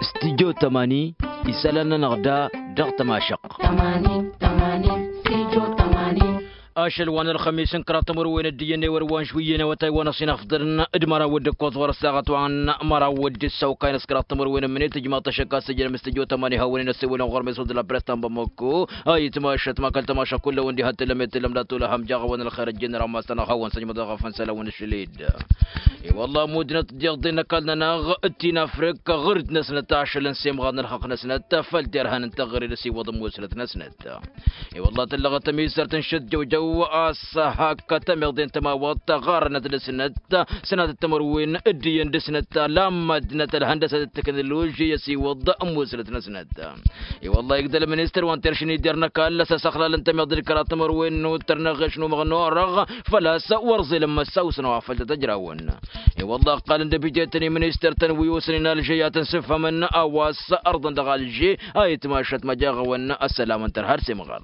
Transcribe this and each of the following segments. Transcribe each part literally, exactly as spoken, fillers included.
Studio tămani. Isălan-nănăɣ da dăɣ-tămašăqq. Ašăl wa n-ălxămis n-kăraḍ timǝrwen d-iyyăn ewăr wa n-žwǝyyăn awătay wa n-ăṣinăfḍăn d-măraw d-ǝkkoẓ ɣur-ăssaɣăt wa n-măraw d-ǝssăwkay n-ăskăraḍ timǝrwen n-imǝnet ijmaḍ-t ašăk a-s ǝjrăm studio tămani hawăn-in-ăssewălăn ɣur-mesul d-la press ta n-bamăkko. A itmašăt ma kăl-tămašăk kull-awăn diha t-tǝllăm i-t-tǝllăm d-atolăhăm jaɣ-awăn ălxer ăjjeen ărammas-tăn ad-hawăn-săjmăḍ ɣef n-isălan-wăn ašăl-dd. I-wălla ămuddinăt d-iḍen n-ăkall-nănăɣ d-ti n-afrik ɣǝr-dd-năsnăt ašăl n-semɣar n-ălxăqq-năsnăt făll-derhan n-teɣăre d-asiwăḍ n-musnăt-năsnăt. I-wălla tǝllăɣăt tămizărt n-šăt jăwjăw a-s hak tămiḍe n-tămawăḍt ɣarănăt dăr-snăt sănatăt timǝrwen d-iyyăn dăr-snăt lammaddinăt ălhăndăsăt d-teknoloži i-asiwăḍ n-musnăt-năsnăt. I-wălla igdăl ministăr wa n-teršǝn ider n-ăkall a-s ăsăxlalăn tămiḍe d-kăraḍ timǝrwen n-uttăr n-eɣeš n-umăɣ n-orăɣ făl-a-s wăr ẓilăn măssaw s-năwafăl tăt-ăjrawăn. I-wălla ăqqalăn d-abijetăn i-ministăr-tăn wi osăn-in alže i-ad-tăn-sǝfhămăn a-wa s-ărḍăn dăɣ-alže a itmašăt măjeɣ-awăn ăssălam n-tărha d-semɣar.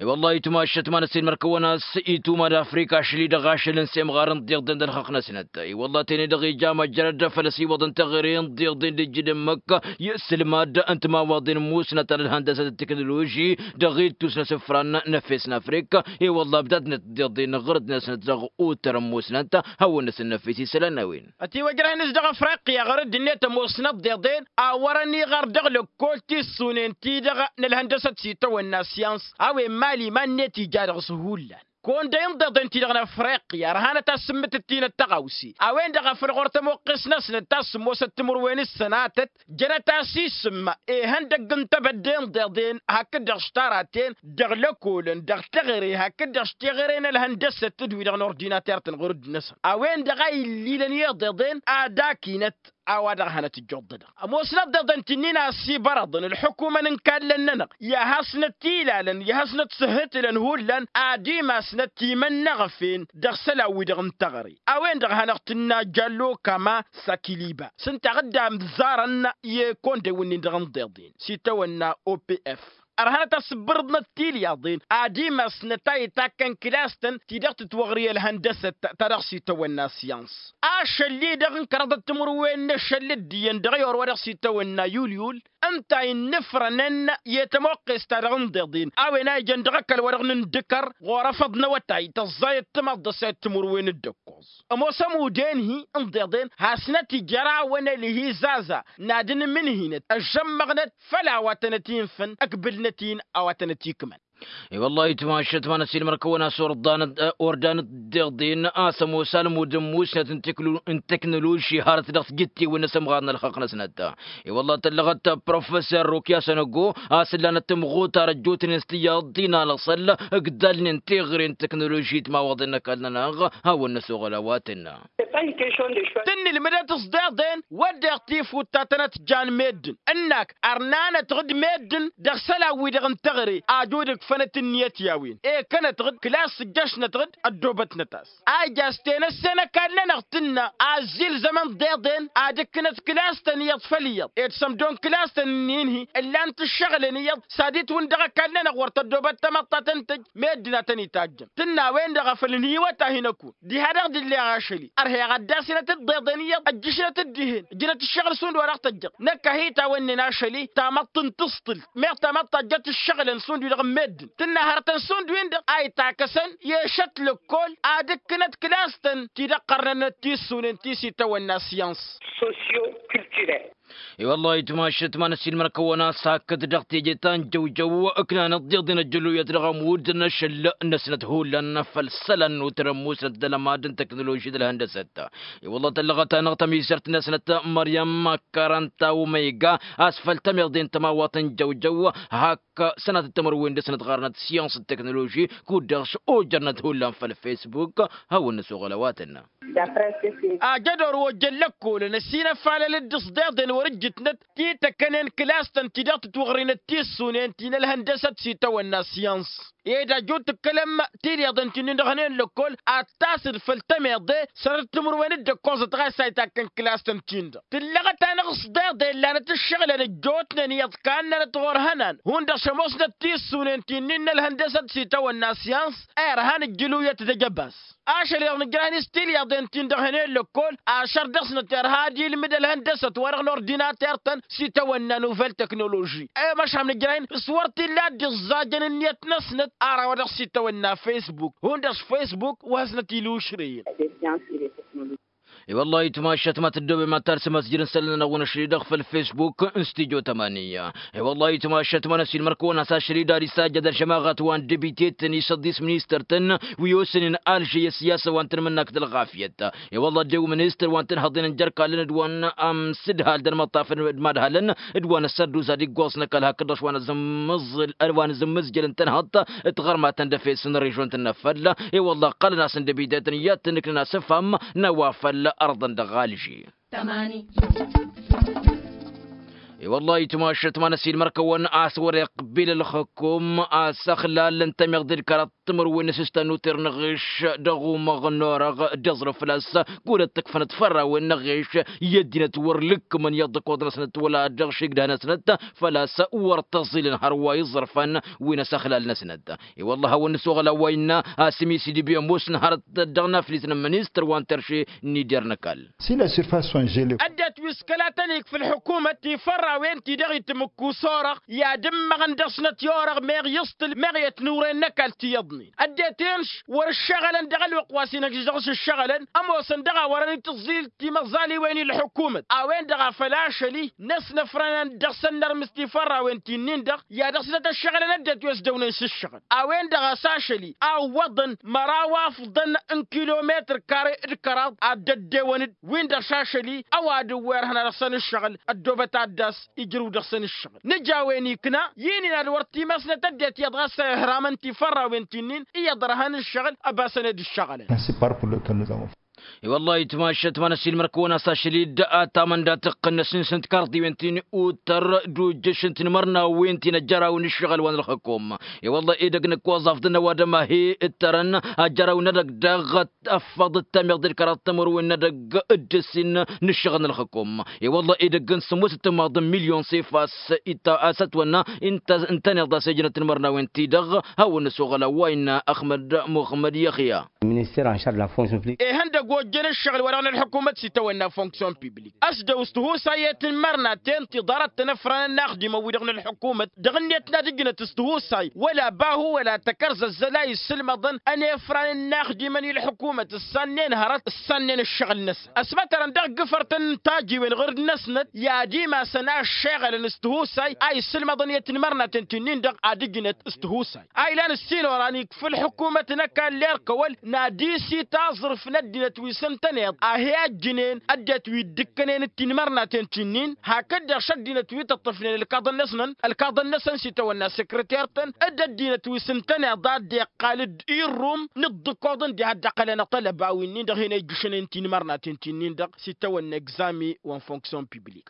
I-wălla itmašăt ma n-ăssiilmăr-kăwăn a-s ituma d-afrika ašăl-i dăɣ-ašăl n-semɣar n-tiḍen d-ălxăqq-năsnăt. I-wălla tene-dăɣ ija măjrăd făll-asiwăḍ n-teɣăre n-tiḍen d-ijjǝd ǝmmǝk i-ǝssǝlmad n-timawaḍen musnăt alălhăndăsăt d-teknoloži dăɣ-ittus n-asǝfran n-efes n-afrika. I-wălla ǝbdadnăt d-iḍen ɣǝrǝd-năsnăt dăɣ-otăr n-musnăt hawăn-năsǝnnăfes isălan n-a-wen. Ătiwăjrăh-nǝs dăɣ-afriqya ɣărăd-net ămoosnăt d-iḍen a wărăn iɣăr dăɣ-lăkkol tissunen-ti-dăɣ n-ălhăndăsăt s-itawănna syans a-wen mali iman-net ija dăɣ-s hullan. Kăwăn-dăy n-iḍeḍen-ti-dăɣ n-afriqya ărhanăt a-s sǝmmǝtǝt-inăt tăɣawse a-wen-dăɣ a făl ɣur-e tămoqqes-năsnăt ta s-sǝmmosăt timǝrwen d-sănatăt jănăt-as isǝm ihăndăgg n-tebădde n-iḍeḍen hakd-dăɣ s-taraten dăɣ-lăkolăn dăɣ-teɣăre hakd-dăɣ s-teɣăre n-ălhăndăsăt d-wi-dăɣ n-ordinater-tăn ɣur-dd-năsăn a-wen-dăɣ a illilăn i-iḍeḍen ad-ak-inăt a-wa dăɣ-hanăt-ǝjjuḍ-dăɣ ămoosnăt d-iḍeḍen ti-nin a ăsibărăḍăn ǝlḥǝkumăn n-kallăn-nănăɣ i-ad-hasnăt-ilalăn i-ad-hasnăt-sǝhhǝtǝlăn hullan ad-imasnăt timănnăɣăfen dăɣ-isălan-wi-dăɣ n-teɣăre. A-wen-dăɣ a hanăɣ-tǝnna jallo kama sakiliba s-ǝnta a dd-amǝzzarăn i-kăwăn-dăy wǝnnin-dăɣ n-iḍeḍen s-itawănna opf. Ărhănăt a-s ǝbbărǝḍnăt tilyaḍen ad-imasnăt a itakkăn kǝlas-tăn ti dăɣ-tǝtwăɣri ălhăndăsăt ta dăɣ-s itawănna syans. Ašăl-i-dăɣ n-kăraḍăt timǝrwen n-ašăl d-iyyăn dăɣ-i orwa dăɣ-s itawănna yulyul ǝnta a innǝfrănăn i-tămoqqes-ta-dăɣ n-iḍeḍen a-wen a ijăn dăɣ-ăkall-wa-dăɣ n-indǝkăr ɣur-afăḍ n-awătay tăẓẓayăt timaḍt dăɣ-sayăt timǝrwen d-ǝkkoẓ. Ămoos ămudd enhi n-iḍeḍen hasnăt-ija ar-awăn ălhizaza n-ad-ǝnmǝnhinăt ăžžămmăɣnăt făll-a-wa tănăt-infăn ăkbǝlnăt-in a-wa tănăt-ikmăn. I-wăllah itmašăt ma n-ăsiilmăr-kăwăn a-s ordan-dd iḍen a-s ămoos almud n-musnăt n-teknoloži harăt dăɣ-tijǝttiwen n-asǝmɣar n-ălxăqq-năsnăt. I-wăllah tăllăɣăt professor rukya sănăgo a-s ǝllanăt timɣutar ăjjootnen s-tiyyăḍ ti n-alăṣăl ǝgdalnen teɣăre n-teknoloži timawăḍen n-ăkall-nănăɣ. Hawăn-năsoɣăl a-wa tǝnna. Tǝnnǝlmǝdăt s-deḍen wădden tifut ta tănăt-jan meddǝn ǝnnak ărnanăt-dd meddǝn dăɣ-isălan-wi-dăɣ n-teɣăre ajud ǝkfănăt ǝnniyăt i-a-wen ekănăt-dd kǝlas ǝjjăšnăt-dd ăddoobătnăt-as a ija s-tenăsse n-ăkall-nănăɣ tǝnna. Azilzămăn deḍen ad-ǝkkǝnăt kǝlas-tăn iyyăḍ făll-iyyăḍ ed sămdo n-kǝlas-tăn ǝnnin-hi ǝllan-t ǝššăɣǝlăn iyyăḍ s-ad-itwǝn dăɣ-ăkall-nănăɣ wăr tăddoobăt tamăḍt ta tăn-tǝjj meddǝn a tăn-itajjăn tǝnna a-wen-dăɣ a făl ǝnhǝywăt-ahi n-ăkun diha-dăɣ d-illeɣ ašăl-i ărheɣ ad-dd-asinăt d-iḍen iyyăḍ ăjjǝšnăt-dd dihen ǝjnăt ǝššăɣǝl šund wa dăɣ-tăjjăḍ năkk a hi-tawănnen ašăl-i tamăḍt n-tǝṣṭǝlt meɣ tamăḍt ta ǝjjăt ǝššăɣǝlăn šund-wi-dăɣ n-meddǝn tǝnna hărătăn šund-win-dăɣ a itakăsăn i-ašăt lăkkol ad-ǝkkǝnăt kǝlas-tăn ti dăɣ-qărnănăt tissunen ti s-itawănna syăns. Sosyo-kulturel. I-wăllah itmašăt ma n-ăsiilmăr-kăwăn a-s hakd-dăɣ teje ta n-jăwjăw ǝknanăt d-iḍen ăjjăluyăt dăɣ-ămudd n-ašăl-năsnăt hullan făll-isălan n-utărăn musnăt d-alămad n-teknoloži d-ălhăndăsăt. I-wăllah tăllăɣăt-anăɣ tămizărt-năsnăt măryăm karănta omega a-s făll-tămiḍe n-tămawăt n-jăwjăw hak sănatăt timǝrwen dăr-snăt ɣarnăt syăns d-teknoloži kud-dăɣ s-ojărnăt hullan făll-facebook. Hawăn-năsoɣăl a-wa tǝnna. Ajădor wa ojjăn lăkkolăn ăsinăfalăl-dd s-deḍen wăr-ǝjjǝtnăt ti tăkkănen kǝlas-tăn ti dăɣ-tǝtwăɣrinăt tissunen ti n-ălhăndăsăt s-itawănna syăns. ed ajut tǝkkălăm tiliḍen ti-nin-dăɣ hănen lăkkol ad-tasǝd făll-tămeḍe săr-timǝrwen d-ǝkkoẓăt ɣas a itakkăn kǝlas-tăn-tin-dăɣ tǝllăɣăt-anăɣ s-deḍe ǝllanăt ǝššăɣǝlăn ăjjootnen iyyăḍ kannănăt ɣur-ihănan hundăɣ šămoosnăt tissunen ti-nin n-ălhăndăsăt s-itawănna syans. Irhan ǝjjǝluyăt d-ejăbas ašăl-i-dăɣ nǝjrăhăn-i s-tilyaḍen-tin-dăɣ hănen lăkkol ašăr dăɣ-snăt irha ad-ilmǝd ălhăndăsăt-wa-dăɣ n-ordinater-tăn s-itawănna n-uvel teknoloži. I-măšham nǝjrăhăn s-wăr t-illa a dd-iẓẓajăn ǝnniyăt-năsnăt ara wa dăɣ-s itawănna facebook hundăɣ s-facebook wa hasnăt-ila ušrăyăn. I-wăllah itmašat ma tăddoobem ad-talsăm asjăr n-isălan-nănăɣ wi n-ašăl-i-dăɣ făll-facebook n-stijo tămani. I-wăllah itmašat ma n-ăsiilmăr-kăwăn a-s ašăl-i-dăɣ ad-isajjăd ălžămaɣăt wa n-debite-tăn i-săḍis ministăr-tăn wi osănen alže i-ăssiyasăn wa n-tanmǝnnak d-ălɣafyăt. I-wăllah ăddew ministăr wa n-tanhăḍen n-jer-kallăn d-wa n-amsǝdhal d-ănmăṭṭafăn d-imadhalăn d-wa n-ăssărdus ad-iggoẓ n-ăkall hakd-dăɣ wa n-azǝmmǝẓ-jăl n-tanhăḍt d-tiɣărmatăn d-efes n-režon-tăn n-afăl. I-wăllah ǝqqălăn-asăn d-ebidetăn i-ad-tăn-ǝknăn asǝfham n-a-wa făl ărḍăn dăɣ-alže. I-wăllah itmašat ma n-ăsiilmăr-kăwăn a-s wăr-iqbil ălxǝkum a-s ăxlal n-tămiḍe d-kăraḍ timǝrwen n-asǝstan n-uter n-aɣeš dăɣ-umăɣ n-orăɣ d-iẓrǝf făl-a-s. Kulăt tǝkfănăt fărrawen n-aɣeš i-ăddinăt wăr lǝkkǝmăn iyyăḍ d-ǝkkoḍ-năsnăt wăla dăɣ-išigdăh-năsnăt făl-a-s wăr tăẓilăn hărwa iẓrǝfăn wi n-asăxlal-năsnăt. I-wălla a hawăn-nǝsoɣăl a-wa innă asǝmi s-idǝbi ămoosăn hărăt dăɣ-naflit n-ministăr wa n-terše n-ider n-ăkall. Si la surface sont gelées. Ăddinăt wi s-kăla tăn-ik făll-ḥukumăt tifărrawen-ti-dăɣ itmǝkku s-orăɣ i-ad-ǝmmăɣăn dăɣ-snăt i-orăɣ meɣ iẓtǝl meɣ i-ătnuren n-ăkall tiyyăḍnen ăddinăt-en wăr-ǝššăɣălăn dăɣ-ălwăqq wa s-inăkš dăɣ-s ǝššăɣălăn. Ămoosăn dăɣ-a wărăn itǝẓẓil timăẓaliwen i-ălḥukumăt a-wen-dăɣ a făl ašăl-i n-ăsnăfrănăn dăɣ-săn nărmǝs tifărrawen ti-nin-dăɣ i-ad-dăɣ-snăt ăššăɣǝlăn ăddinăt wi ăsdăwnen s-ǝššăɣǝl a-wen-dăɣ a-s ašăl-i a ǝwwăḍăn măraw afḍăn n-kilometăr kare d-kăraḍ ad-dd-ăddewăn-dd win-dăɣ s-ašăl-i. Ăwadǝm wi ărhăn ad-dăɣ-săn ǝššăɣǝl ăddoobăt ad-dd-as ijrǝw dăɣ-săn ǝššăɣǝl nǝj'-a-wen ikna i-nin ad-wăr t-imasnăt ăddinăt iyyăḍ ɣas a ihraman tifărrawen ti-nin iyyăḍ ărhăn ǝššăɣǝl ăbasăn ed ǝššăɣǝlăn. I-wălla-hi tmašat ma n-ăsiilmăr-kăwăn a-s ašăl-i dd-atamănda tǝqqǝnnăs n-sǝnt karḍiwen ti n-utăr d-ujjăš n-tinmărnawen ti n-ăjjăraw n-ǝššăɣǝl wa n-ălxǝkum. I-wălla edăgg n-ǝkkoẓ afḍăn ăwadǝm a hi-ǝttărăn ajjăraw n-edăgg dăɣ-ăffăḍ d-tamiḍe d-kăraḍ timǝrwen n-edăgg d-ǝssin n-ǝššăɣǝl n-ălxǝkum. I-wălla edăgg n-sǝmmosăt timaḍ n-milyon s-efas a-s ătwănna ǝntăneḍ a-s ejănăt tinmărnawen-ti-dăɣ. Hawăn-nǝsoɣăl a-wa innă ăxmăd muxămmăd i-ăxya. Minister anšar la fonction public. Ihăndăgg ojjăn ǝššăɣǝl-wa-dăɣ n-ălḥukumăt s-itawănna fonction publik ăsdăw s-tihusay i-tinmărnaten tiḍarăt-tăn ăfranăn inaxdimăn-wi-dăɣ n-ălḥukumăt dăɣ-net n-ad-ǝjnăt s-tihusay wăla bahu wăla tăkărzăzzăl a issǝlmăḍăn ănefran n-inaxdimăn i-ălḥukumăt ǝssannen hărăt ǝssannen ǝššăɣǝl-năsăn ăsmătărăn dăɣ-gǝfăr-tăn n-tajiwen ɣǝr-dd-năsnăt i-ad-imasăn a ăššeɣălăn s-tihusay a issǝlmăḍăn i-tinmărnaten ti-nin-dăɣ ad-ǝjnăt s-tihusay a ilan ǝssin oran ikfa ălḥukumăt n-ăkall erk ăwăl n-ad-isit aẓrǝf n-ăddinăt wi s-ǝntăneḍ a hi-ăjjǝnen ăddinăt wi dd-ǝkkănen d-tinmărnaten ti-nin hakd-dăɣ šăddinăt wi tǝṭṭǝfnen ǝlkaḍăn-năsnăn ǝlkaḍăn-năsăn s-itawănna săkrăter-tăn d-ăddinăt wi s-ǝntăneḍ a dd-iqqal d-irrum n-ǝḍḍǝkoḍ ǝndi had-dd-ăqqălăn aṭălăba wi-nin-dăɣ hin-ejjǝšnen tinmărnaten ti-nin-dăɣ s-itawănna egzami wa n-fonction publik.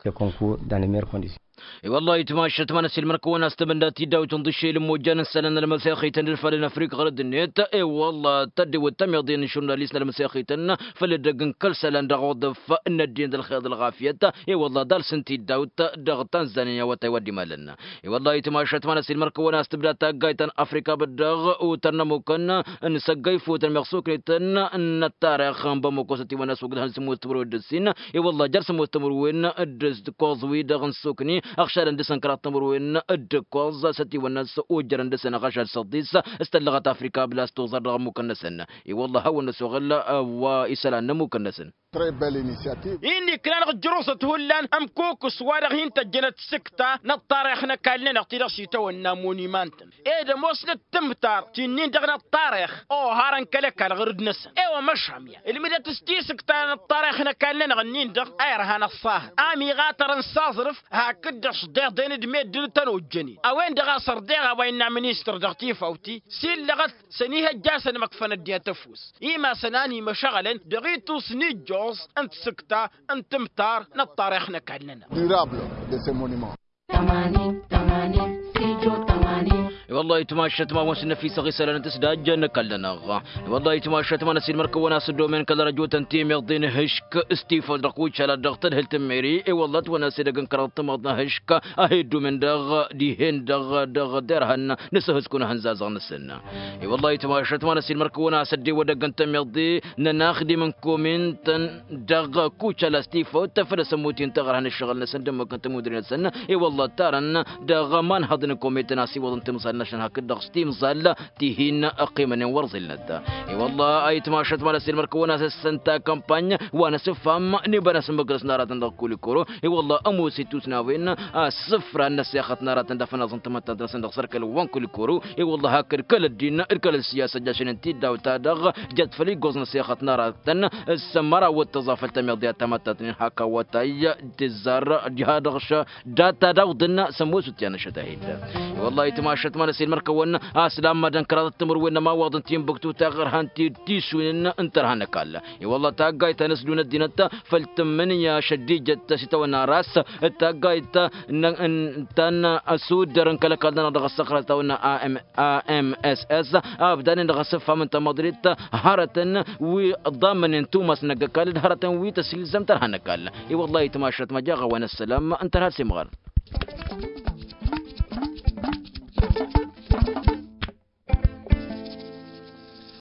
I-wălla-hi tmašat ma n-ăsiilmăr-kăwăn a-s tăbănda tidawt n-ḍišel n-imojjan n-isălan n-ălmăsexităn d-făll-năfrik ɣărăd-net. I-wălla tăddewăt tămiḍe n-išurnalist n-ălmăsexităn făll-edăgg n-kăl-isălan dăɣ-oḍăf n-ăddin d-ălxeḍ ălɣafyăt. I-wălla ḍalsăn tidawt dăɣ-tanzania awătay wa dd-imalăn. I-wălla-hi tmašat ma n-ăsiilmăr-kăwăn a-s tǝbda taggayt ta n-afrika băddaɣ utăr n-ămukăn n-săggăy fotăn meɣ soknetăn n-ăttarix n-bămoko s-ătiwăn a-s wăgg-dăɣ n-sămmos timǝrwen d-ǝssin. I-wălla jer-sămmos timǝrwen d-ǝkkoẓ-wi-dăɣ n-sokni ăɣšadăn dăɣ-săn kăraḍ timǝrwen d-ǝkkoẓ s-ătiwăn a-s ojjărăn dăɣ-săn ăɣašad săḍis s-tăllăɣăt afrika bǝla s-toẓar dăɣ-ămmukăn-năsăn. I-wălla hawăn-năsoɣăl wa isălan n-ămmukăn-năsăn. Très belle initiative. Inn'-iknan ɣǝjjăr osăt hullan ămkukǝs wa dăɣ-hin-tăjjănăt sǝkta n-ăṭṭarix n-ăkall-nănăɣ ti-dăɣ s-itawănna monimantăn ed ămoosnăt tǝmtar ti-nin-dăɣ n-ăṭṭarix oharăn kăl-ăkall ɣur-dd-năsăn. I-wa măšham ya ǝlmǝdăt s-tisǝkta n-ăṭṭarix n-ăkall-nănăɣ-nin-dăɣ a irhan ăṣṣahăt a miɣatărăn s-aẓrǝf hakd-dăɣ šḍeḍen d-meddǝn tăn-ojjănen a-wen-dăɣ a sărdeɣ a-wa innă ministăr dăɣ-tifawt-i s-illăɣăt săn ihăjja-săn măkfăn ăddinăt ăfuss imasăn a n-imăšăɣălăn dăɣ-itus n-ijjoẓ n-tisǝkta n-tǝmtar n-ăṭṭarix n-ăkall-nănăɣ. Durable de ce monument. Tămanin tămanin stijo tămanin. Wăllah itmašăt ma wăn s-năfisăɣ isălan n-tǝsdajjăn n-ăkall-nănăɣ. I-wăllah itmašăt ma n-ăsiilmăr-kăwăn a-s ăddomen kăl-răjotăn timǝḍin hǝšk s-tifăw dăɣ-kucala dăɣ-tadhǝlt n-meri. I-wăllah ătwănna s-edăgg n-kăraḍ timǝḍ n-hǝšk a he-ăddomen dăɣ-dihen dăɣ-dăɣ derhăn n-asǝhǝskun ahǝnzazăɣ-năsăn. I-wăllah itmašăt ma n-ăsiilmăr-kăwăn a-s ăddiwădăgg n-temǝḍe n-ănaxdim n-komin-tăn dăɣ-kucala s-tifăw tăfăl asămmut-in taɣărha n-ǝššăɣǝl-năsăn d-ămmuk n-tămudre-năsăn. I-wăllah ăttarăn dăɣ-imanhăḍ n-komin-tăn a-s iwwăḍăn timẓal-năsăn hakd-dăɣ s-timẓal ti hin-ăqqimănen wăr ẓilnăt. I-wăllah a itmašăt ma n-ăsiilmăr-kăwăn a-s ǝssăn takămpany wa n-asǝffam n-iba n-asǝmmǝgrăs n-aratăn dăɣ-kulikoro. I-wăllah ămoos itusnawen a-s sǝfran n-ăssexăt n-aratăn d-afănaẓ n-tamăttant-năsăn dăɣ-sărkăl wa n-kulikoro. I-wăllah hakd kăl-ăddin d-kăl-ăssiyasa ăjjašăn n-tiddaw-ta-dăɣ jat făll-iggoẓ n-ăssexăt n-aratăn s-măraw d-tăẓafăl tămiḍe a tamăttant-nin hak awătay tǝzzar diha-dăɣ. Data d-awḍǝn s-ămoos utyan ăššăt a hin-dăr. I-wăllah itmašăt ma n-ăsiilmăr-kăwăn a-s lammădăn kăraḍăt timǝrwen n-ămawaḍ n-tinbǝktu taɣărhant ti-dd tisunen n-tărha n-ăkall. I-wăllah taggayt ta n-ăsdun ăddinăt făll-tǝmmǝnǝya šăddijăt s-itawănna ras d-taggayt ta n-asuddăr n-kăl-ăkall-nănăɣ dăɣ-ăssăxrăt itawănna a m s s a ăbdanen dăɣ-asǝffam n-tamăḍrit hărătăn wi ăḍḍammănen tumas n-ăgg-ăkall d-hărătăn wi tăsilzăm tărha n-ăkall. I-wăllah itmašăt ma jaɣ-a-wen ăssălam n-tărha d-simɣăr.